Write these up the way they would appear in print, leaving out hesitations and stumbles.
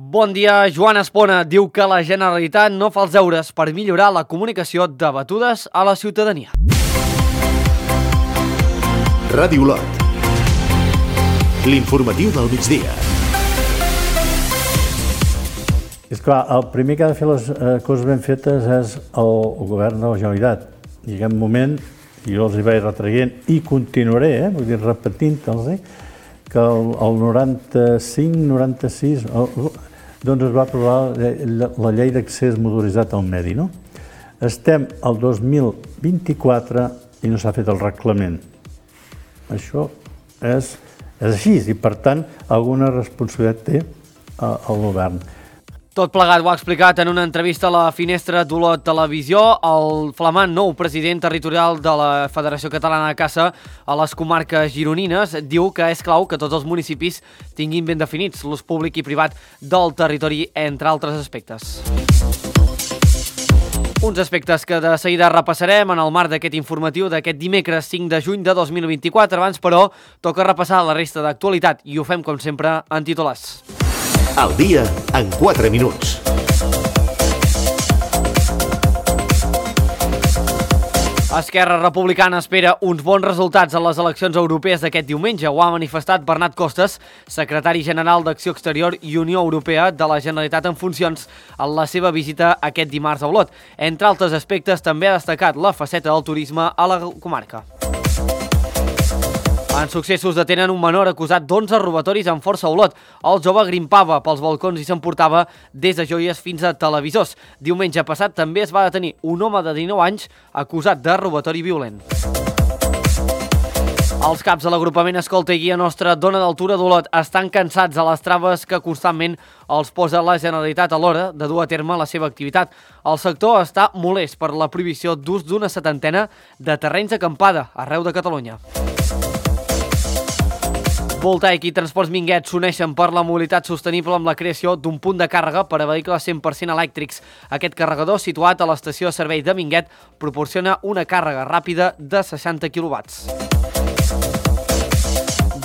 Bon dia, Joan Espona diu que la Generalitat no fa els deures per millorar la comunicació de batudes a la ciutadania. Ràdio Olot, l'informatiu del migdia. És clar, el primer que ha de fer les coses ben fetes és el govern de la Generalitat. I en aquest moment, jo els hi vaig retraient i continuaré, vull dir, repetint-los, que el 95-96 doncs es va aprovar la llei d'accés motoritzat al medi, no? Estem al 2024 i no s'ha fet el reglament. Això és així i, per tant, alguna responsabilitat té el govern. Tot plegat ho ha explicat en una entrevista a la Finestra d'Olot Televisió el flamant nou president territorial de la Federació Catalana de Caça a les comarques gironines. Diu que és clau que tots els municipis tinguin ben definits l'ús públic i privat del territori, entre altres aspectes. Uns aspectes que de seguida repassarem en el marc d'aquest informatiu d'aquest dimecres 5 de juny de 2024. Abans, però, toca repassar la resta d'actualitat i ho fem, com sempre, en titulars. Al dia en 4 minuts. Esquerra Republicana espera uns bons resultats a les eleccions europees d'aquest diumenge. Ho ha manifestat Bernat Costas, secretari general d'Acció Exterior i Unió Europea de la Generalitat en funcions, en la seva visita aquest dimarts a Olot. Entre altres aspectes, també ha destacat la faceta del turisme a la comarca. En successos detenen un menor acusat d'11 robatoris amb força a Olot. El jove grimpava pels balcons i s'emportava des de joies fins a televisors. Diumenge passat també es va detenir un home de 19 anys acusat de robatori violent. Els caps de l'agrupament Escolta i Guia Nostra Dona d'Altura d'Olot estan cansats de les traves que constantment els posa la Generalitat a l'hora de dur a terme la seva activitat. El sector està molest per la prohibició d'ús d'una 70 de terrenys d'acampada arreu de Catalunya. Voltaic i Transports Minguet s'uneixen per la mobilitat sostenible amb la creació d'un punt de càrrega per a vehicles 100% elèctrics. Aquest carregador, situat a l'estació de servei de Minguet, proporciona una càrrega ràpida de 60 kW.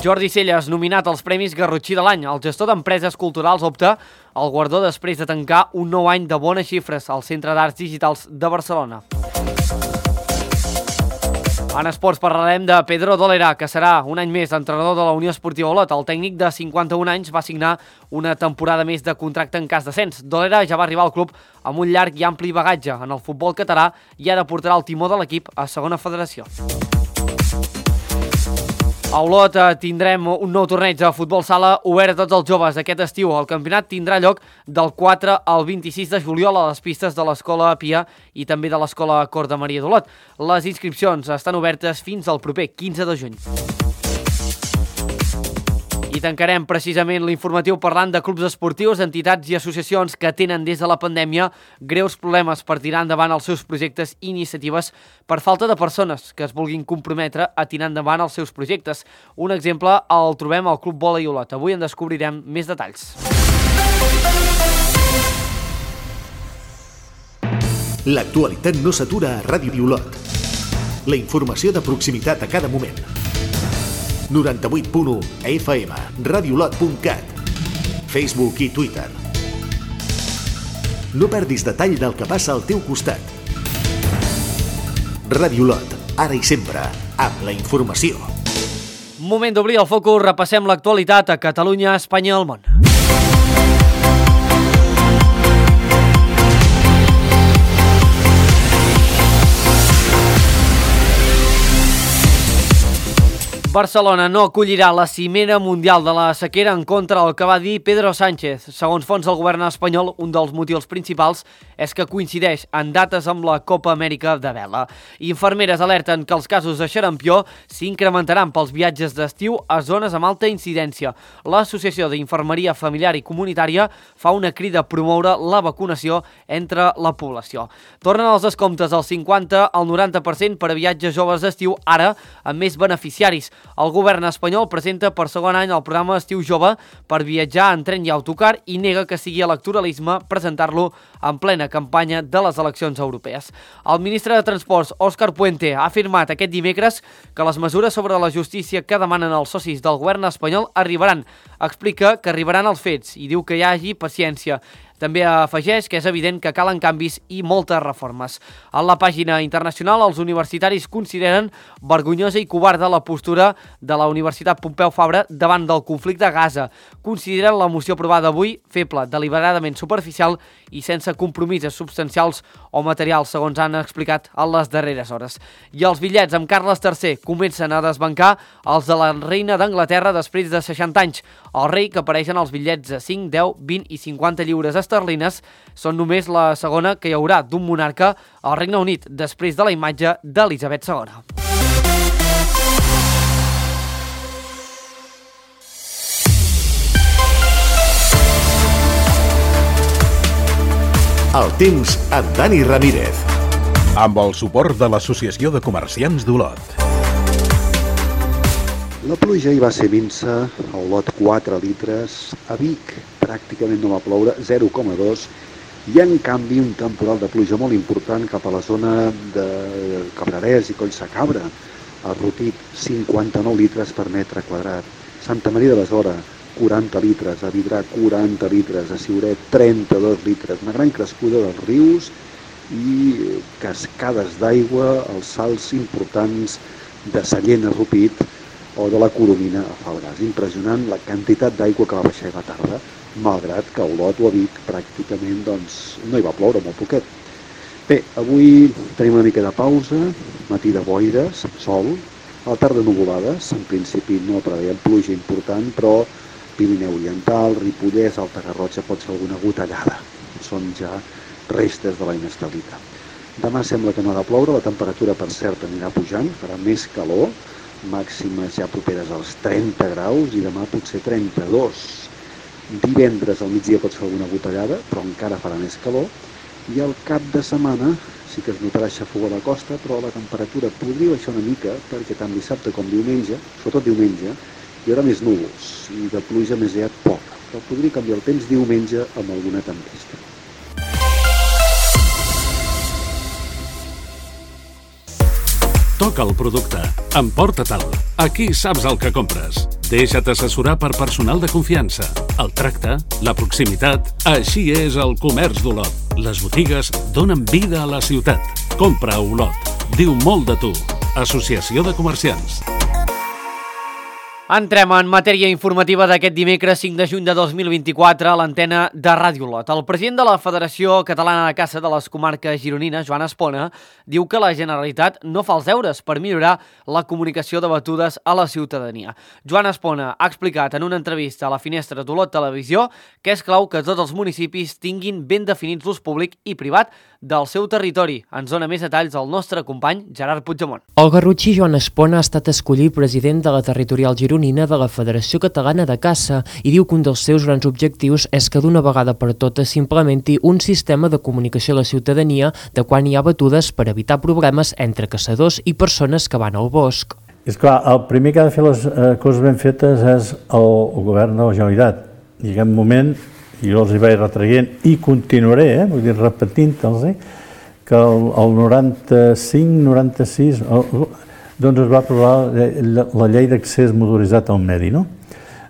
Jordi Celles, nominat als Premis Garrotxí de l'any. El gestor d'empreses culturals opta al guardó després de tancar un nou any de bones xifres al Centre d'Arts Digitals de Barcelona. En esports parlarem de Pedro Dolera, que serà un any més entrenador de la Unió Esportiva Olot. El tècnic de 51 anys va signar una temporada més de contracte en cas d'ascens. Dolera ja va arribar al club amb un llarg i ampli bagatge en el futbol català i ara portarà el timó de l'equip a segona federació. A Olot tindrem un nou torneig de futbol sala obert a tots els joves aquest estiu. El campionat tindrà lloc del 4 al 26 de juliol a les pistes de l'Escola Pia i també de l'Escola Cor de Maria d'Olot. Les inscripcions estan obertes fins al proper 15 de juny. I tancarem precisament l'informatiu parlant de clubs esportius, entitats i associacions que tenen des de la pandèmia greus problemes per tirar endavant els seus projectes i iniciatives per falta de persones que es vulguin comprometre a tirar endavant els seus projectes. Un exemple el trobem al Club Vòlei Olot. Avui en descobrirem més detalls. L'actualitat no s'atura a Ràdio Olot. La informació de proximitat a cada moment. 98.1 FM, radioolot.cat, Facebook i Twitter. No perdis detall del que passa al teu costat. Ràdio Olot, ara i sempre, amb la informació. Moment d'obrir el focus, repassem l'actualitat a Catalunya, Espanya i el món. Barcelona no acollirà la cimera mundial de la sequera en contra del que va dir Pedro Sánchez. Segons fons del govern espanyol, un dels motius principals és que coincideix en dates amb la Copa Amèrica de vela. Infermeres alerten que els casos de xarampió s'incrementaran pels viatges d'estiu a zones amb alta incidència. L'Associació d'Infermeria Familiar i Comunitària fa una crida a promoure la vacunació entre la població. Tornen els descomptes del 50 al 90% per a viatges joves d'estiu, ara amb més beneficiaris. El govern espanyol presenta per segon any el programa Estiu Jove per viatjar en tren i autocar i nega que sigui electoralisme presentar-lo en plena campanya de les eleccions europees. El ministre de Transports, Òscar Puente, ha afirmat aquest dimecres que les mesures sobre la justícia que demanen els socis del govern espanyol arribaran. Explica que arribaran els fets i diu que hi hagi paciència. També afegeix que és evident que calen canvis i moltes reformes. En la pàgina internacional, els universitaris consideren vergonyosa i covarda la postura de la Universitat Pompeu Fabra davant del conflicte a Gaza. Consideren la moció aprovada avui feble, deliberadament superficial i sense compromisos substancials o materials, segons han explicat a les darreres hores. I els bitllets amb Carles III comencen a desbancar els de la reina d'Anglaterra després de 60 anys. El rei, que apareixen als bitllets de 5, 10, 20 i 50 lliures esterlines, són només la segona que hi haurà d'un monarca al Regne Unit, després de la imatge d'Elisabet II. El temps amb Dani Ramírez. Amb el suport de l'Associació de Comerciants d'Olot. La pluja hi va ser minsa, a Olot 4 litres, a Vic pràcticament no va ploure, 0,2, i en canvi un temporal de pluja molt important cap a la zona de Cabrerès i Collsacabra, a Rupit 59 litres per metre quadrat, Santa Maria de Besora 40 litres, a Vidrà 40 litres, a Siuret 32 litres, una gran crescuda dels rius i cascades d'aigua, els salts importants de Sallent a Rupit o de la Coromina a Falgars. Impressionant la quantitat d'aigua que va baixar a la tarda, malgrat que a Olot o a Vic pràcticament no hi va ploure, molt poquet. Bé, avui tenim una mica de pausa, matí de boires, sol, a la tarda nuvolades, en principi no preveiem pluja important, però Pirineu Oriental, Ripollès, Alta Garrotxa pot ser alguna gotellada. Són ja restes de la inestabilitat. Demà sembla que no ha de ploure, la temperatura per cert anirà pujant, farà més calor, màximes ja properes als 30 graus i demà potser 32. Divendres al migdia pot ser alguna gotellada, però encara farà més calor, i al cap de setmana sí que es notarà xafogó a la costa, però la temperatura podria baixar una mica, perquè tant dissabte com diumenge, sobretot diumenge, hi haurà més núvols i de pluja més aviat poca, però podria canviar el temps diumenge amb alguna tempesta. Toca el producte. Emporta-te'l. Aquí saps el que compres. Deixa't assessorar per personal de confiança. El tracte, la proximitat... Així és el comerç d'Olot. Les botigues donen vida a la ciutat. Compra a Olot. Diu molt de tu. Associació de Comerciants. Entrem en matèria informativa d'aquest dimecres 5 de juny de 2024 a l'antena de Ràdio Olot. El president de la Federació Catalana de Caça de les Comarques Gironines, Joan Espona, diu que la Generalitat no fa els deures per millorar la comunicació de batudes a la ciutadania. Joan Espona ha explicat en una entrevista a la Finestra d'Olot Televisió que és clau que tots els municipis tinguin ben definits l'ús públic i privat del seu territori. Ens dona més detalls el nostre company Gerard Puigdemont. El garrotxí Joan Espona ha estat escollit president de la territorial gironina de la Federació Catalana de Caça i diu que un dels seus grans objectius és que d'una vegada per totes s'implementi un sistema de comunicació a la ciutadania de quan hi ha batudes per evitar problemes entre caçadors i persones que van al bosc. És clar, el primer que ha de fer les coses ben fetes és el govern de la Generalitat. I en aquest moment jo els hi vaig retraient i continuaré, vull dir, repetint-los, que el 95-96 doncs es va aprovar la llei d'accés motoritzat al medi, no?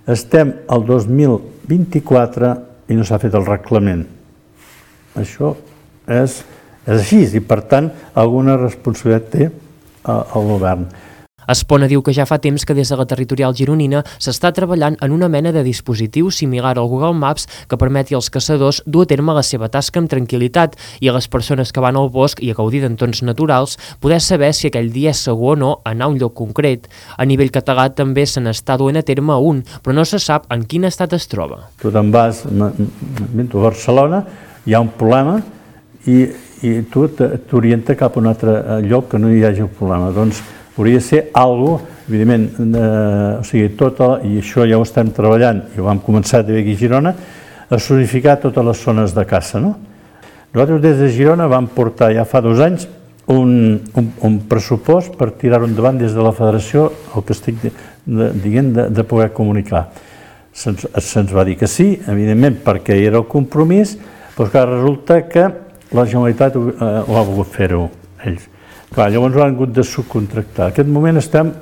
Estem al 2024 i no s'ha fet el reglament. Això és així i, per tant, alguna responsabilitat té el govern. Espona diu que ja fa temps que des de la territorial gironina s'està treballant en una mena de dispositiu similar al Google Maps que permeti als caçadors dur a terme la seva tasca amb tranquil·litat i a les persones que van al bosc i a gaudir d'entorns naturals poder saber si aquell dia és segur o no anar a un lloc concret. A nivell català també se n'està duent a terme un, però no se sap en quin estat es troba. Tu te'n vas a Barcelona, hi ha un problema i tu t'orienta cap a un altre lloc que no hi hagi un problema. Doncs hauria de ser alguna cosa, evidentment, o sigui, i això ja ho estem treballant, i ho vam començar també aquí a Girona, a zonificar totes les zones de caça, no? Nosaltres des de Girona vam portar ja fa 2 anys un pressupost per tirar-ho endavant des de la Federació, el que estic de poder comunicar. Se'ns va dir que sí, evidentment, perquè era el compromís, però clar, resulta que la Generalitat ho ha volgut fer-ho ells. Clar, llavors ho han hagut de subcontractar. En aquest moment estem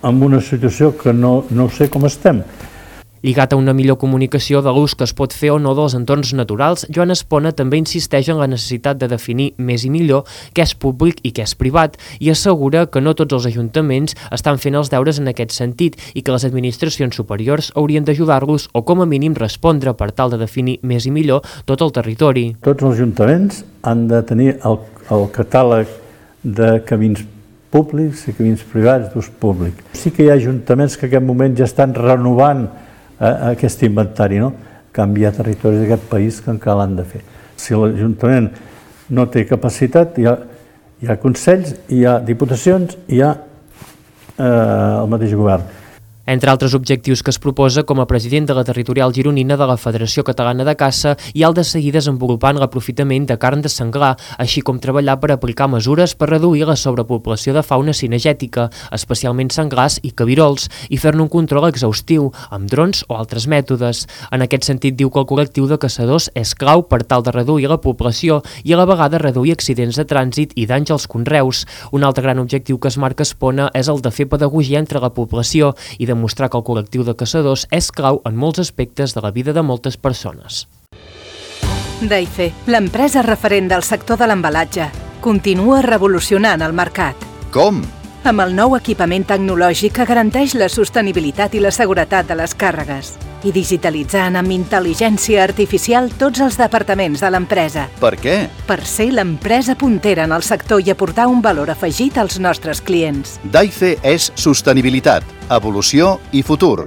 en una situació que no sé com estem. Lligat a una millor comunicació de l'ús que es pot fer o no dels entorns naturals, Joan Espona també insisteix en la necessitat de definir més i millor què és públic i què és privat i assegura que no tots els ajuntaments estan fent els deures en aquest sentit i que les administracions superiors haurien d'ajudar-los o com a mínim respondre per tal de definir més i millor tot el territori. Tots els ajuntaments han de tenir el catàleg de camins públics i camins privats d'ús públic. Sí que hi ha ajuntaments que en aquest moment ja estan renovant aquest inventari, no? Canviar territoris d'aquest país que encara l'han de fer. Si l'Ajuntament no té capacitat, hi ha consells, hi ha diputacions, hi ha el mateix govern. Entre altres objectius que es proposa, com a president de la territorial gironina de la Federació Catalana de Caça, hi ha el de seguir desenvolupant l'aprofitament de carn de senglar, així com treballar per aplicar mesures per reduir la sobrepoblació de fauna cinegètica, especialment senglars i cabirols, i fer-ne un control exhaustiu, amb drons o altres mètodes. En aquest sentit, diu que el col·lectiu de caçadors és clau per tal de reduir la població i a la vegada reduir accidents de trànsit i danys als conreus. Un altre gran objectiu que es marca Espona és el de fer pedagogia entre la població i demostrar que el col·lectiu de caçadors és clau en molts aspectes de la vida de moltes persones. Daife, l'empresa referent del sector de l'embalatge, continua revolucionant el mercat. Com? Amb el nou equipament tecnològic que garanteix la sostenibilitat i la seguretat de les càrregues i digitalitzant amb intel·ligència artificial tots els departaments de l'empresa. Per què? Per ser l'empresa puntera en el sector i aportar un valor afegit als nostres clients. Daife és sostenibilitat, evolució i futur.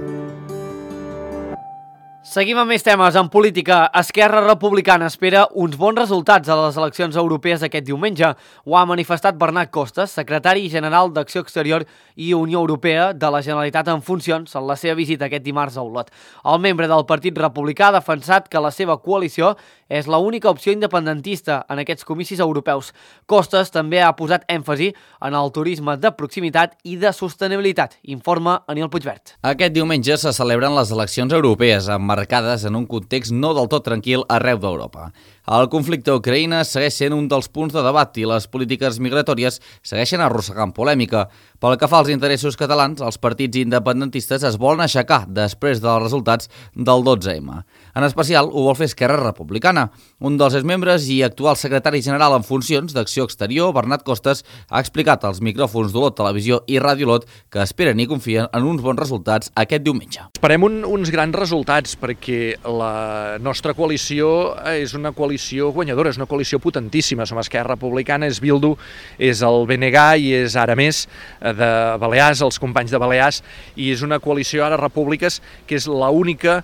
Seguim amb més temes. En política, Esquerra Republicana espera uns bons resultats a les eleccions europees aquest diumenge. Ho ha manifestat Bernat Costas, secretari general d'Acció Exterior i Unió Europea de la Generalitat en funcions en la seva visita aquest dimarts a Olot. El membre del Partit Republicà ha defensat que la seva coalició és l'única opció independentista en aquests comicis europeus. Costas també ha posat èmfasi en el turisme de proximitat i de sostenibilitat, informa Aniol Puigvert. Aquest diumenge se celebren les eleccions europees, emmarcades en un context no del tot tranquil arreu d'Europa. El conflicte a Ucraïna segueix sent un dels punts de debat i les polítiques migratòries segueixen arrossegant polèmica. Pel que fa als interessos catalans, els partits independentistes es volen aixecar després dels resultats del 12M. En especial, ho vol fer Esquerra Republicana. Un dels seus membres i actual secretari general en funcions d'Acció Exterior, Bernat Costas, ha explicat als micròfons d'Olot Televisió i Ràdio Olot que esperen i confien en uns bons resultats aquest diumenge. Esperem uns grans resultats perquè la nostra coalició és una coalició guanyadora, és una coalició potentíssima. Som Esquerra Republicana, és Bildu, és el BNG i és ara més de Balears, els companys de Balears, i és una coalició ara Repúbliques que és l'única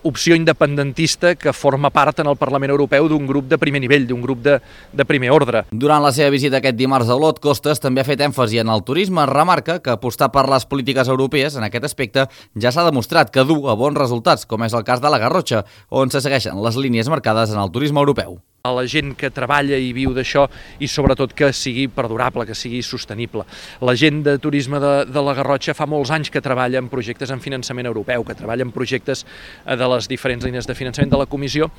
opció independentista que forma part en el Parlament Europeu d'un grup de primer nivell, d'un grup de primer ordre. Durant la seva visita aquest dimarts a Olot, Costas també ha fet èmfasi en el turisme. Remarca que apostar per les polítiques europees en aquest aspecte ja s'ha demostrat que du a bons resultats, com és el cas de la Garrotxa, on se segueixen les línies marcades en el turisme europeu. A la gent que treballa i viu d'això i sobretot que sigui perdurable, que sigui sostenible. La gent de turisme de la Garrotxa fa molts anys que treballa en projectes en finançament europeu, que treballa en projectes de les diferents línies de finançament de la Comissió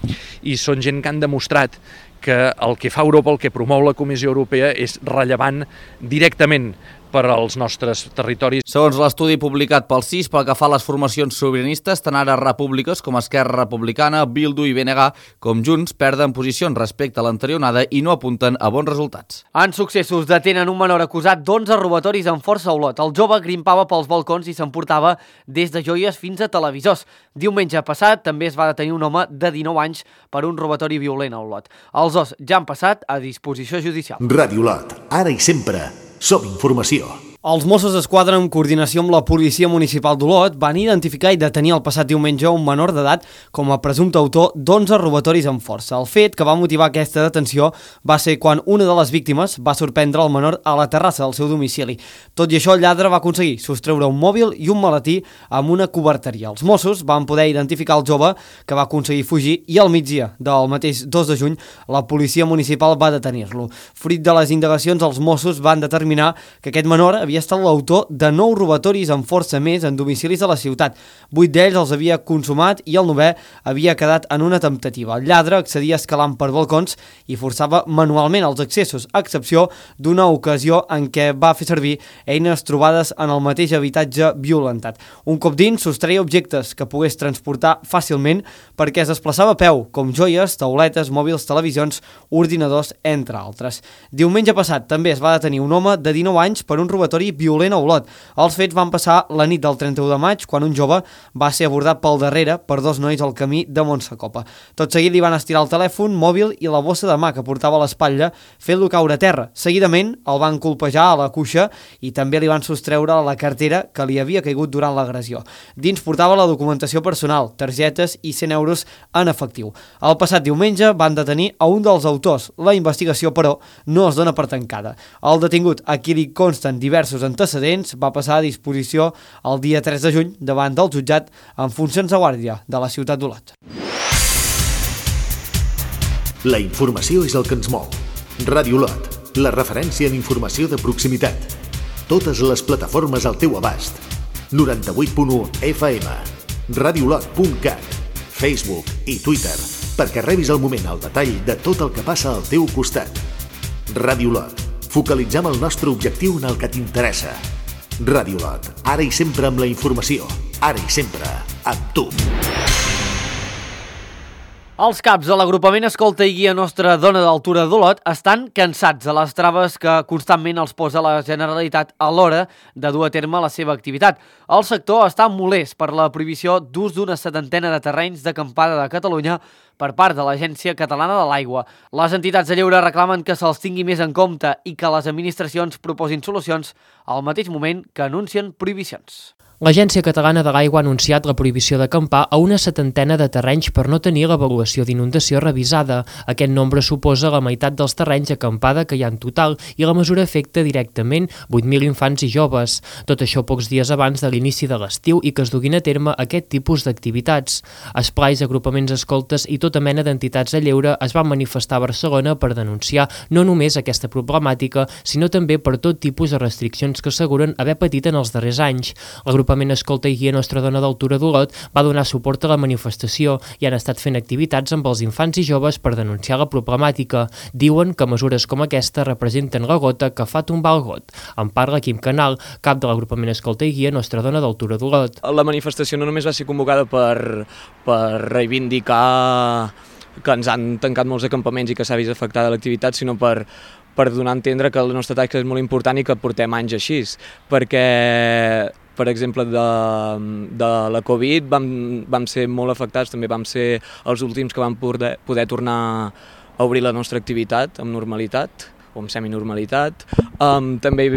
i són gent que han demostrat que el que fa Europa, el que promou la Comissió Europea és rellevant directament per als nostres territoris. Segons l'estudi publicat pel CIS, pel que fa a les formacions sobiranistes, tant ara repúbliques com Esquerra Republicana, Bildu i BNG, com Junts, perden posicions respecte a l'anterior onada i no apunten a bons resultats. En successos detenen un menor acusat d'11 robatoris en força a Olot. El jove grimpava pels balcons i s'emportava des de joies fins a televisors. Diumenge passat també es va detenir un home de 19 anys per un robatori violent a Olot. Els dos ja han passat a disposició judicial. Ràdio Olot, ara i sempre. Som informació. Els Mossos d'Esquadra, en coordinació amb la Policia Municipal d'Olot, van identificar i detenir el passat diumenge un menor d'edat com a presumpte autor d'11 robatoris amb força. El fet que va motivar aquesta detenció va ser quan una de les víctimes va sorprendre el menor a la terrassa del seu domicili. Tot i això, el lladre va aconseguir sostreure un mòbil i un maletí amb una coberteria. Els Mossos van poder identificar el jove que va aconseguir fugir i al migdia del mateix 2 de juny la Policia Municipal va detenir-lo. Fruit de les indagacions, els Mossos van determinar que aquest menor havia havia estat l'autor de 9 robatoris amb força més en domicilis a la ciutat. 8 d'ells els havia consumat i el 9è havia quedat en una temptativa. El lladre accedia escalant per balcons i forçava manualment els accessos, a excepció d'una ocasió en què va fer servir eines trobades en el mateix habitatge violentat. Un cop dins, sostreia objectes que pogués transportar fàcilment perquè es desplaçava a peu, com joies, tauletes, mòbils, televisions, ordinadors, entre altres. Diumenge passat també es va detenir un home de 19 anys per un robatori violent a Olot. Els fets van passar la nit del 31 de maig, quan un jove va ser abordat pel darrere per 2 nois al camí de Montsacopa. Tot seguit li van estirar el telèfon mòbil i la bossa de mà que portava a l'espatlla, fent-lo caure a terra. Seguidament el van colpejar a la cuixa i també li van sostreure la cartera que li havia caigut durant l'agressió. Dins portava la documentació personal, targetes i 100 euros en efectiu. El passat diumenge van detenir a un dels autors. La investigació, però, no es dona per tancada. El detingut, a qui li consten diversos antecedents, va passar a disposició el dia 3 de juny davant del jutjat en funcions de guàrdia de la ciutat d'Olot. La informació és el que ens mou. Ràdio Olot, la referència en informació de proximitat. Totes les plataformes al teu abast. 98.1 FM, radiolot.cat, Facebook i Twitter, perquè rebis al moment el detall de tot el que passa al teu costat. Ràdio Olot. Focalitzem el nostre objectiu en el que t'interessa. Ràdio Olot. Ara i sempre amb la informació. Ara i sempre amb tu. Els caps de l'agrupament Escolta i Guia Nostra Dona d'Altura d'Olot estan cansats de les traves que constantment els posa la Generalitat a l'hora de dur a terme la seva activitat. El sector està molest per la prohibició d'ús d'una 70ena de terrenys d'acampada de Catalunya per part de l'Agència Catalana de l'Aigua. Les entitats de lleure reclamen que se'ls tingui més en compte i que les administracions proposin solucions al mateix moment que anuncien prohibicions. L'Agència Catalana de l'Aigua ha anunciat la prohibició d'acampar a una 70ena de terrenys per no tenir l'avaluació d'inundació revisada. Aquest nombre suposa la meitat dels terrenys d'acampada que hi ha en total i la mesura afecta directament 8.000 infants i joves. Tot això pocs dies abans de l'inici de l'estiu i que es duguin a terme aquest tipus d'activitats. Esplais, agrupaments escoltes i tota mena d'entitats de lleure es van manifestar a Barcelona per denunciar no només aquesta problemàtica, sinó també per tot tipus de restriccions que asseguren haver patit en els darrers anys. L'agrupament Escolta i Guia Nostra Dona d'Altura d'Olot va donar suport a la manifestació i han estat fent activitats amb els infants i joves per denunciar la problemàtica. Diuen que mesures com aquesta representen la gota que fa tombar el got. En parla Quim Canal, cap de l'agrupament Escolta i Guia Nostra Dona d'Altura d'Olot. La manifestació no només va ser convocada per reivindicar que ens han tancat molts acampaments i que s'ha vist afectada l'activitat, sinó per donar a entendre que la nostra tasca és molt important i que portem anys així, perquè, per exemple, de la Covid vam ser molt afectats, també vam ser els últims que vam poder tornar a obrir la nostra activitat amb normalitat, o amb seminormalitat. També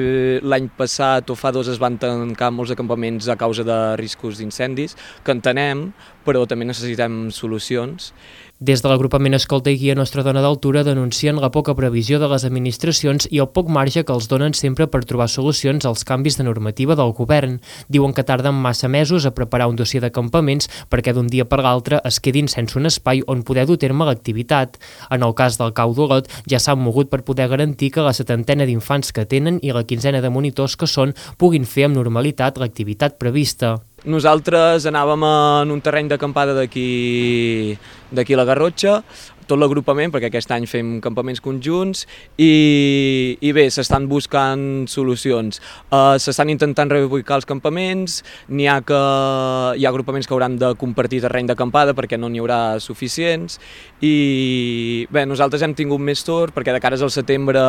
l'any passat o fa 2 es van tancar molts acampaments a causa de riscos d'incendis, que entenem, però també necessitem solucions. Des de l'agrupament Escolta i Guia Nostra Dona d'Altura denuncien la poca previsió de les administracions i el poc marge que els donen sempre per trobar solucions als canvis de normativa del govern. Diuen que tarden massa mesos a preparar un dossier d'acampaments perquè d'un dia per l'altre es quedin sense un espai on poder dur a terme l'activitat. En el cas del Cau d'Olot ja s'han mogut per poder garantir que la 70ena d'infants que tenen i la 15ena de monitors que són puguin fer amb normalitat l'activitat prevista. Nosaltres anàvem en un terreny d'acampada d'aquí a la Garrotxa, tot l'agrupament, perquè aquest any fem campaments conjunts, i bé, s'estan buscant solucions. S'estan intentant reubicar els campaments, hi ha agrupaments que hauran de compartir terreny d'acampada perquè no n'hi haurà suficients, i bé, nosaltres hem tingut més sort perquè de cares al setembre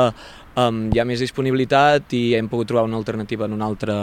hi ha més disponibilitat i hem pogut trobar una alternativa en un altre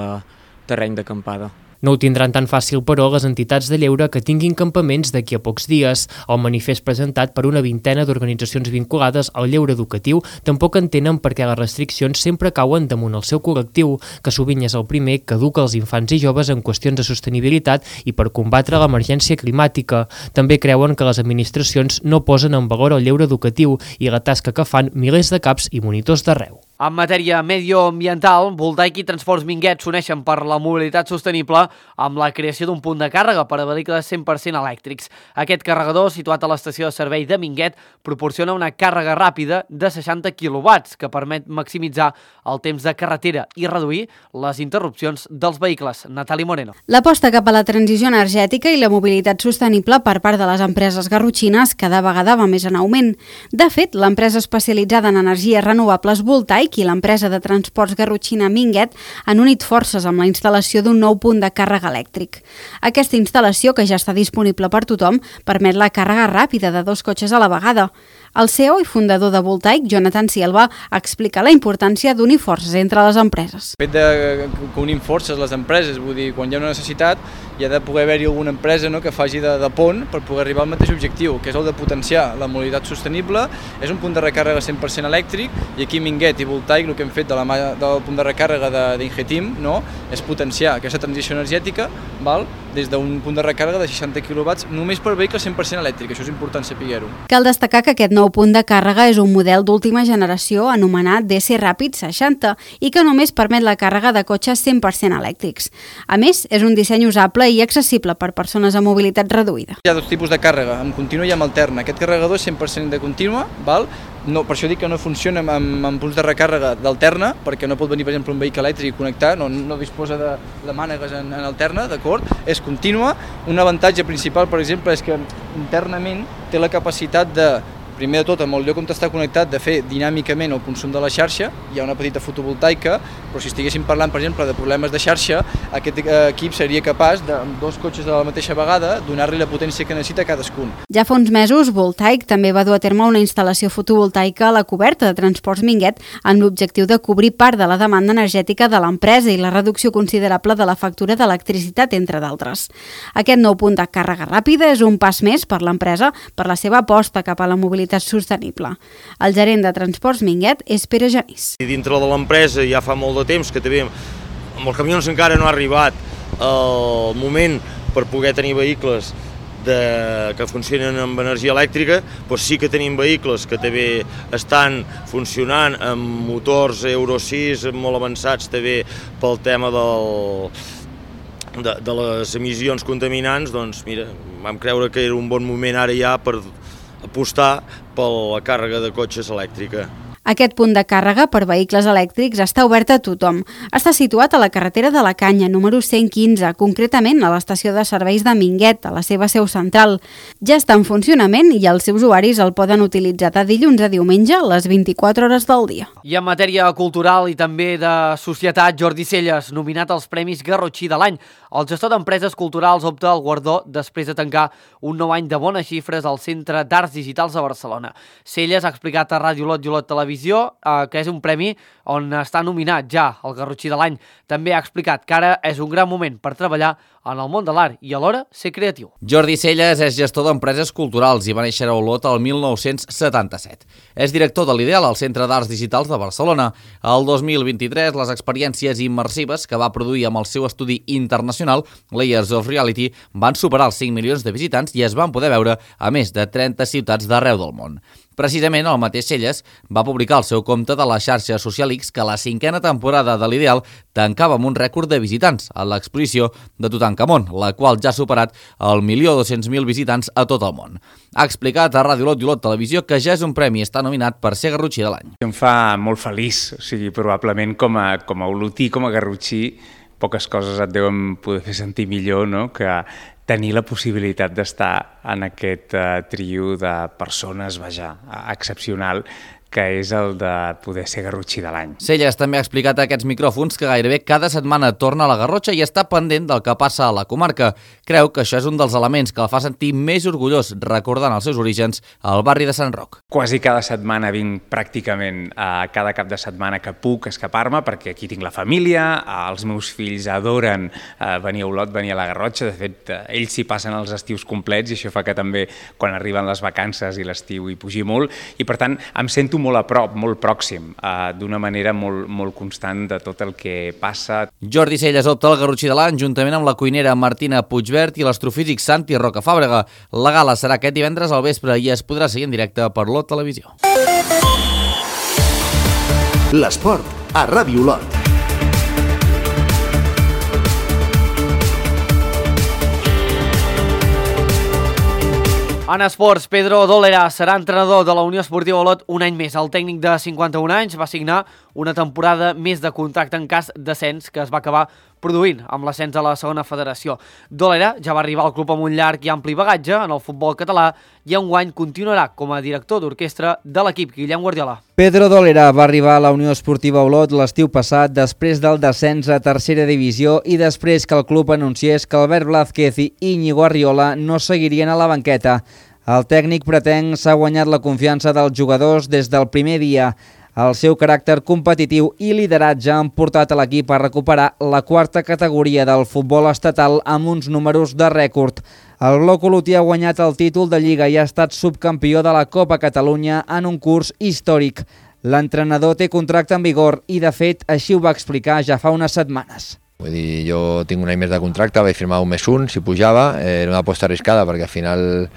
terreny d'acampada. No ho tindran tan fàcil, però, les entitats de lleure que tinguin campaments d'aquí a pocs dies. El manifest presentat per una vintena d'organitzacions vinculades al lleure educatiu tampoc entenen per què les restriccions sempre cauen damunt el seu col·lectiu, que sovint és el primer que educa els infants i joves en qüestions de sostenibilitat i per combatre l'emergència climàtica. També creuen que les administracions no posen en valor el lleure educatiu i la tasca que fan milers de caps i monitors d'arreu. En matèria medioambiental, Voltaic i Transports Minguet s'uneixen per la mobilitat sostenible amb la creació d'un punt de càrrega per a vehicles 100% elèctrics. Aquest carregador, situat a l'estació de servei de Minguet, proporciona una càrrega ràpida de 60 kW que permet maximitzar el temps de carretera i reduir les interrupcions dels vehicles. Natàlia Moreno. L'aposta cap a la transició energètica i la mobilitat sostenible per part de les empreses garrotxines cada vegada va més en augment. De fet, l'empresa especialitzada en energies renovables Voltaic i l'empresa de transports garrotxina Minguet han unit forces amb la instal·lació d'un nou punt de càrrega elèctric. Aquesta instal·lació, que ja està disponible per tothom, permet la càrrega ràpida de 2 cotxes a la vegada. El CEO i fundador de Voltaic, Jonathan Silva, explica la importància d'unir forces entre les empreses. El fet que unim forces les empreses, vull dir, quan hi ha una necessitat, hi ha de poder haver-hi alguna empresa que faci de pont per poder arribar al mateix objectiu, que és el de potenciar la mobilitat sostenible. És un punt de recàrrega 100% elèctric i aquí Minguet i Voltaic el que hem fet de la mà del punt de recàrrega d'Ingetim és potenciar aquesta transició energètica des d'un punt de recàrrega de 60 kW només per vehicles 100% elèctric. Això és important saber-ho. Cal destacar que aquest nou punt de càrrega és un model d'última generació anomenat DC Ràpid 60 i que només permet la càrrega de cotxes 100% elèctrics. A més, és un disseny usable i accessible per persones amb mobilitat reduïda. Hi ha 2 tipus de càrrega, amb contínua i amb alterna. Aquest carregador és 100% de contínua, no, per això dic que no funciona amb punts de recàrrega d'alterna, perquè no pot venir, per exemple, un vehicle elèctric i connectar, no disposa de mànegues en alterna, d'acord? És contínua. Un avantatge principal, per exemple, és que internament té la capacitat de, primer de tot, amb el lloc on està connectat, de fer dinàmicament el consum de la xarxa. Hi ha una petita fotovoltaica, però si estiguéssim parlant, per exemple, de problemes de xarxa, aquest equip seria capaç, amb 2 cotxes a la mateixa vegada, donar-li la potència que necessita a cadascun. Ja fa uns mesos, Voltaic també va dur a terme una instal·lació fotovoltaica a la coberta de Transports Minguet amb l'objectiu de cobrir part de la demanda energètica de l'empresa i la reducció considerable de la factura d'electricitat, entre d'altres. Aquest nou punt de càrrega ràpida és un pas més per l'empresa per la seva aposta cap a la mobilitat sostenible. El gerent de Transports Minguet és Pere Genís. Dintre de l'empresa ja fa molt de temps que també amb els camions encara no ha arribat el moment per poder tenir vehicles que funcionen amb energia elèctrica, però sí que tenim vehicles que també estan funcionant amb motors Euro 6 molt avançats també pel tema de les emissions contaminants. Doncs mira, vam creure que era un bon moment ara ja per apostar per la càrrega de cotxes elèctrica. Aquest punt de càrrega per vehicles elèctrics està obert a tothom. Està situat a la carretera de la Canya, número 115, concretament a l'estació de serveis de Minguet, a la seva seu central. Ja està en funcionament i els usuaris el poden utilitzar de dilluns a diumenge les 24 hores del dia. I en matèria cultural i també de societat, Jordi Celles, nominat als Premis Garrotxí de l'any. El gestor d'empreses culturals opta al guardó després de tancar un nou any de bones xifres al Centre d'Arts Digitals de Barcelona. Celles ha explicat a Ràdio Lot i Olot Televisió que és un premi on està nominat ja el Garrotxí de l'any. També ha explicat que ara és un gran moment per treballar en el món de l'art i alhora ser creatiu. Jordi Celles és gestor d'empreses culturals i va néixer a Olot el 1977. És director de l'Ideal al Centre d'Arts Digitals de Barcelona. El 2023, les experiències immersives que va produir amb el seu estudi internacional, Layers of Reality, van superar els 5 milions de visitants i es van poder veure a més de 30 ciutats d'arreu del món. Precisament el mateix Celles va publicar al seu compte de la xarxa social X que la 5a temporada de l'Ideal tancava amb un rècord de visitants a l'exposició de Tutankamon, la qual ja ha superat el 1.200.000 visitants a tot el món. Ha explicat a Ràdio Lot i Olot Televisió que ja és un premi i està nominat per ser Garrotxí de l'any. Em fa molt feliç, o sigui, probablement com a olotí, com a garrotxí, poques coses et deuen poder fer sentir millor, no?, que tenir la possibilitat d'estar en aquest trio de persones, excepcional, que és el de poder ser Garrotxí de l'any. Celles també ha explicat a aquests micròfons que gairebé cada setmana torna a la Garrotxa i està pendent del que passa a la comarca. Creu que això és un dels elements que el fa sentir més orgullós, recordant els seus orígens al barri de Sant Roc. Quasi cada setmana vinc pràcticament a cada cap de setmana que puc escapar-me, perquè aquí tinc la família, els meus fills adoren venir a Olot, venir a la Garrotxa. De fet, ells s'hi passen els estius complets i això fa que també quan arriben les vacances i l'estiu hi pugi molt i per tant em sento molt a prop, molt pròxim, d'una manera molt constant de tot el que passa. Jordi Celles opta al Garrotxí de l'any juntament amb la cuinera Martina Puigbert i l'astrofísic Santi Rocafàbrega. La gala serà aquest divendres al vespre i es podrà seguir en directe per Lot Televisió. L'esport a Ràdio Olot. En esports, Pedro Dólera serà entrenador de la Unió Esportiva Olot un any més. El tècnic de 51 anys va signar una temporada més de contracte en cas d'ascens que es va acabar produint amb l'ascens a la segona federació. Dólera ja va arribar al club amb un llarg i ampli bagatge en el futbol català i enguany continuarà com a director d'orquestra de l'equip Guillem Guardiola. Pedro Dólera va arribar a la Unió Esportiva Olot l'estiu passat després del descens a tercera divisió i després que el club anunciés que Albert Blázquez i Íñigo Arriola no seguirien a la banqueta. El tècnic pretenc s'ha guanyat la confiança dels jugadors des del primer dia. El seu caràcter competitiu i lideratge han portat a l'equip a recuperar la quarta categoria del futbol estatal amb uns números de rècord. El Bloc Olotí ha guanyat el títol de Lliga i ha estat subcampió de la Copa Catalunya en un curs històric. L'entrenador té contracte en vigor i, de fet, així ho va explicar ja fa unes setmanes. Vull dir, jo tinc un any més de contracte, vaig firmar un més un, si pujava, era una aposta arriscada perquè al final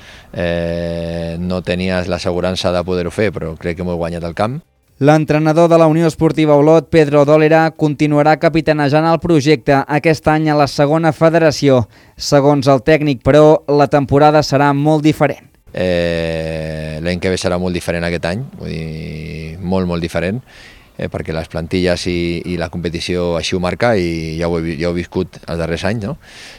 no tenies l'assegurança de poder-ho fer, però crec que m'ho he guanyat al camp. L'entrenador de la Unió Esportiva Olot, Pedro Dólera, continuarà capitanejant el projecte aquest any a la segona federació. Segons el tècnic, però, la temporada serà molt diferent. L'any que ve serà molt diferent aquest any, vull dir, molt diferent, perquè les plantilles i la competició així ho marca i ja ho he viscut els darrers anys, no?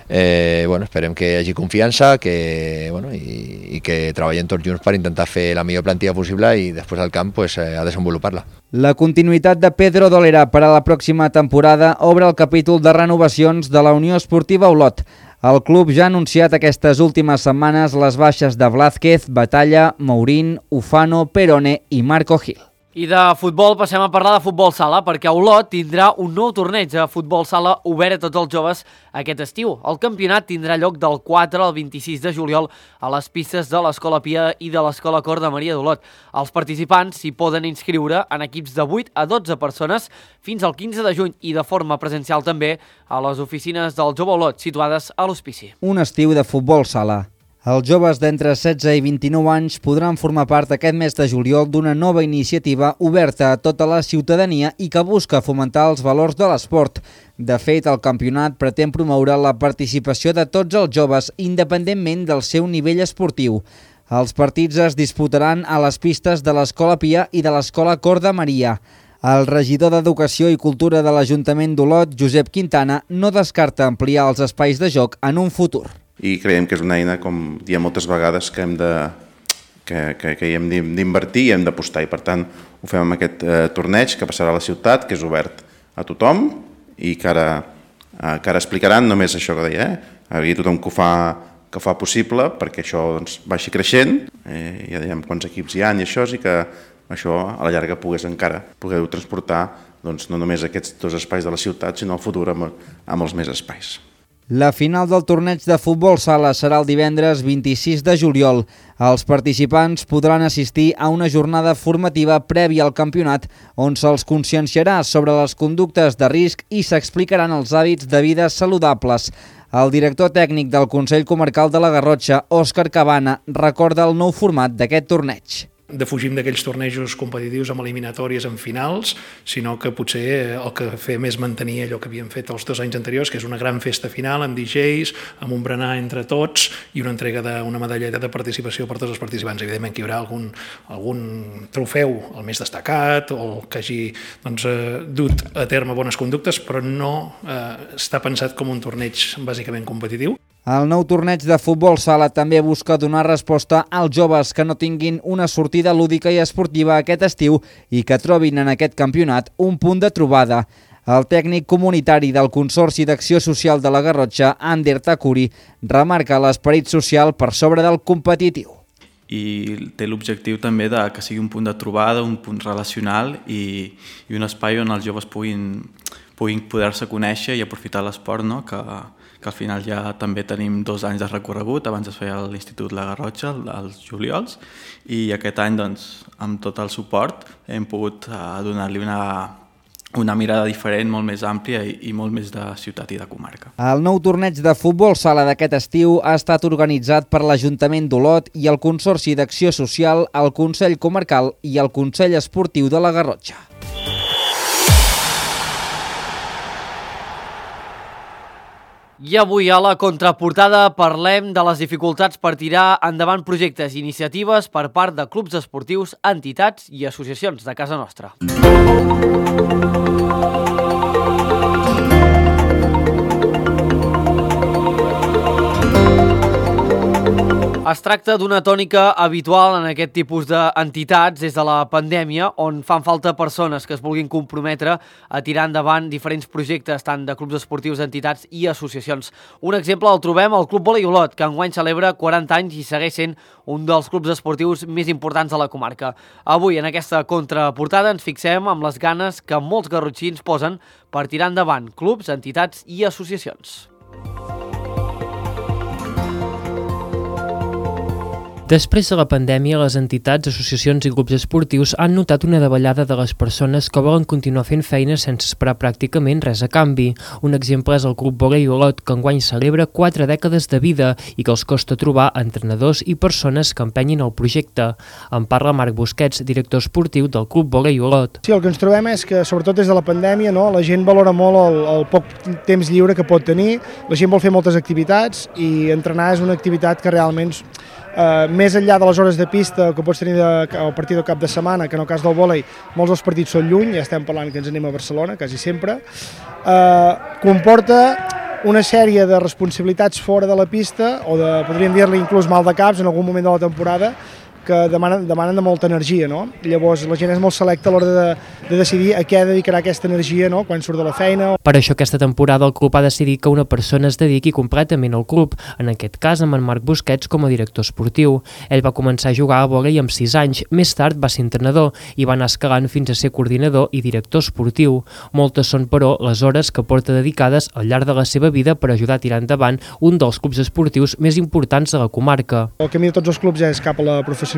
Esperem que hi hagi confiança i que treballem tots junts per intentar fer la millor plantilla possible i després al camp a desenvolupar-la. La continuïtat de Pedro Dólera per a la pròxima temporada obre el capítol de renovacions de la Unió Esportiva Olot. El club ja ha anunciat aquestes últimes setmanes les baixes de Blázquez, Batalla, Mourín, Ufano, Perone i Marco Gil. I de futbol passem a parlar de futbol sala, perquè Olot tindrà un nou torneig de futbol sala obert a tots els joves aquest estiu. El campionat tindrà lloc del 4 al 26 de juliol a les pistes de l'Escola Pia i de l'Escola Cor de Maria d'Olot. Els participants s'hi poden inscriure en equips de 8 a 12 persones fins al 15 de juny i de forma presencial també a les oficines del Jove Olot situades a l'Hospici. Un estiu de futbol sala. Els joves d'entre 16 i 29 anys podran formar part aquest mes de juliol d'una nova iniciativa oberta a tota la ciutadania i que busca fomentar els valors de l'esport. De fet, el campionat pretén promoure la participació de tots els joves independentment del seu nivell esportiu. Els partits es disputaran a les pistes de l'Escola Pia i de l'Escola Cor de Maria. El regidor d'Educació i Cultura de l'Ajuntament d'Olot, Josep Quintana, no descarta ampliar els espais de joc en un futur. I creiem que és una eina, com diem moltes vegades, que hi hem d'invertir i hem d'apostar. I per tant ho fem amb aquest torneig que passarà a la ciutat, que és obert a tothom i que ara explicaran només això que deia, a tothom que ho fa possible perquè això vagi creixent, ja dèiem quants equips hi ha i això, i que això a la llarga pogueu transportar no només aquests dos espais de la ciutat, sinó al futur amb els més espais. La final del torneig de futbol sala serà el divendres 26 de juliol. Els participants podran assistir a una jornada formativa prèvia al campionat on se'ls conscienciarà sobre les conductes de risc i s'explicaran els hàbits de vida saludables. El director tècnic del Consell Comarcal de la Garrotxa, Òscar Cabana, recorda el nou format d'aquest torneig. Defugim d'aquells tornejos competitius amb eliminatòries en finals, sinó que potser el que fem és mantenir allò que havíem fet els 2 anys anteriors, que és una gran festa final amb DJs, amb un berenar entre tots i una entrega d'una medalleta de participació per tots els participants. Evidentment que hi haurà algun trofeu, el més destacat, o el que hagi dut a terme bones conductes, però no està pensat com un torneig bàsicament competitiu. El nou torneig de futbol sala també busca donar resposta als joves que no tinguin una sortida lúdica i esportiva aquest estiu i que trobin en aquest campionat un punt de trobada. El tècnic comunitari del Consorci d'Acció Social de la Garrotxa, Ander Takuri, remarca l'esperit social per sobre del competitiu. I té l'objectiu també que sigui un punt de trobada, un punt relacional i un espai on els joves puguin poder-se conèixer i aprofitar l'esport, no? que al final ja també tenim 2 anys de recorregut, abans es feia a l'Institut La Garrotxa, als juliols, i aquest any, amb tot el suport, hem pogut donar-li una mirada diferent, molt més àmplia i molt més de ciutat i de comarca. El nou torneig de futbol sala d'aquest estiu ha estat organitzat per l'Ajuntament d'Olot i el Consorci d'Acció Social, el Consell Comarcal i el Consell Esportiu de la Garrotxa. I avui a la contraportada parlem de les dificultats per tirar endavant projectes i iniciatives per part de clubs esportius, entitats i associacions de casa nostra. Es tracta d'una tònica habitual en aquest tipus d'entitats des de la pandèmia, on fan falta persones que es vulguin comprometre a tirar endavant diferents projectes, tant de clubs esportius, entitats i associacions. Un exemple el trobem al Club Vòlei Olot, que enguany celebra 40 anys i segueix sent un dels clubs esportius més importants de la comarca. Avui, en aquesta contraportada, ens fixem amb les ganes que molts garrotxins posen per tirar endavant clubs, entitats i associacions. Després de la pandèmia, les entitats, associacions i grups esportius han notat una davallada de les persones que volen continuar fent feina sense esperar pràcticament res a canvi. Un exemple és el Club Vòlei Olot, que enguany celebra 4 dècades de vida i que els costa trobar entrenadors i persones que empenyin el projecte. En parla Marc Busquets, director esportiu del Club Vòlei Olot. Sí, el que ens trobem és que, sobretot des de la pandèmia, la gent valora molt el poc temps lliure que pot tenir, la gent vol fer moltes activitats i entrenar és una activitat que realment més enllà de les hores de pista que pots tenir al partit del cap de setmana, que en el cas del vòlei molts dels partits són lluny, ja estem parlant que ens anem a Barcelona quasi sempre, comporta una sèrie de responsabilitats fora de la pista o podríem dir-li inclús mal de caps en algun moment de la temporada que demanen de molta energia, no? Llavors la gent és molt selecta a l'hora de decidir a què dedicarà aquesta energia, no? Quan surt de la feina. Per això aquesta temporada el club ha decidit que una persona es dediqui completament al club, en aquest cas amb en Marc Busquets com a director esportiu. Ell va començar a jugar a vòlei amb 6 anys, més tard va ser entrenador i va anar escalant fins a ser coordinador i director esportiu. Moltes són, però, les hores que porta dedicades al llarg de la seva vida per ajudar a tirar endavant un dels clubs esportius més importants de la comarca. El camí de tots els clubs és cap a la professionalització.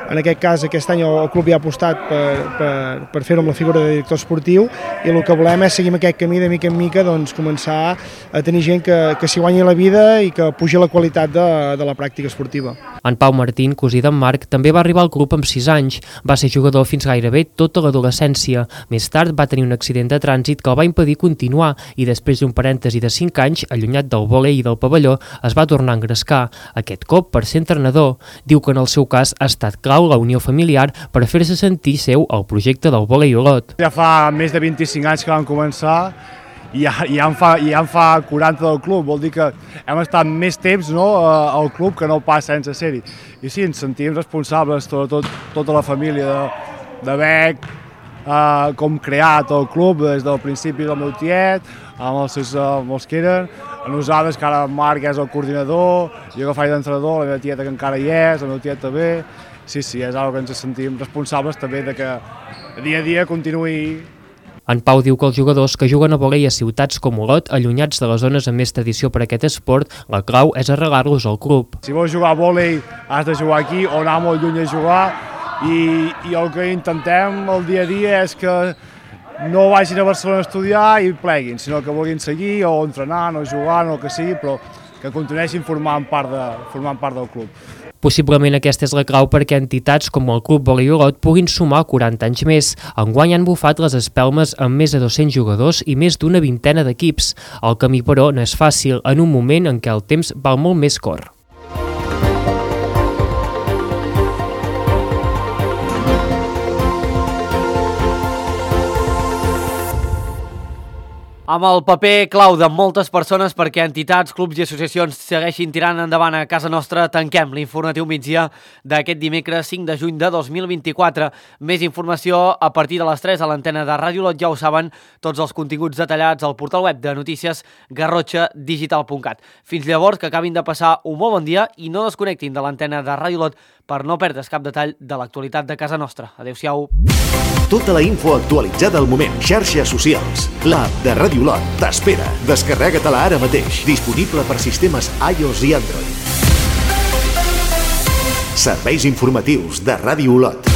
En aquest cas, aquest any el club ja ha apostat per fer-ho amb la figura de director esportiu i el que volem és seguir aquest camí de mica en mica, començar a tenir gent que s'hi guanyi la vida i que pugi la qualitat de la pràctica esportiva. En Pau Martín, cosí d'en Marc, també va arribar al club amb 6 anys. Va ser jugador fins gairebé tota l'adolescència. Més tard va tenir un accident de trànsit que el va impedir continuar i després d'un parèntesi de 5 anys, allunyat del vòlei i del pavelló, es va tornar a engrescar, aquest cop per ser entrenador. Diu que en el seu cas ha estat clau la unió familiar per fer-se sentir seu el projecte del Vòlei Olot. Ja fa més de 25 anys que vam començar i ja en fa 40 del club, vol dir que hem estat més temps al club que no pas sense ser-hi. I sí, ens sentim responsables, tota la família, d'haver com creat el club des del principi del meu tiet, amb els que eren, a nosaltres, que ara en Marc és el coordinador, jo que faig d'entrenador, la meva tieta que encara hi és, el meu tiet també. Sí, és una cosa que ens sentim responsables també de que dia a dia continuï. En Pau diu que els jugadors que juguen a vòlei a ciutats com Olot, allunyats de les zones amb més tradició per a aquest esport, la clau és arrelar-los al club. Si vols jugar a vòlei has de jugar aquí o anar molt lluny a jugar i el que intentem el dia a dia és que no vagin a Barcelona a estudiar i pleguin, sinó que vulguin seguir o entrenar o jugar o el que sigui, però que continuessin formant part del club. Possiblement aquesta és la clau perquè entitats com el Club Vòlei Olot puguin sumar 40 anys més. Enguany han bufat les espelmes amb més de 200 jugadors i més d'una vintena d'equips. El camí, però, no és fàcil en un moment en què el temps val molt més cor. Amb el paper clau de moltes persones perquè entitats, clubs i associacions segueixin tirant endavant a casa nostra, tanquem l'informatiu migdia d'aquest dimecres 5 de juny de 2024. Més informació a partir de les 3 a l'antena de Ràdio Olot, ja ho saben, tots els continguts detallats al portal web de notícies garrotxadigital.cat. Fins llavors, que acabin de passar un molt bon dia i no desconnectin de l'antena de Ràdio Olot per no perdre's cap detall de l'actualitat de casa nostra. Adéu-siau. Tota la info actualitzada al moment. Xarxes socials. L'app de Ràdio Olot t'espera. Descarrega-te-la ara mateix. Disponible per sistemes iOS i Android. Serveis informatius de Ràdio Olot.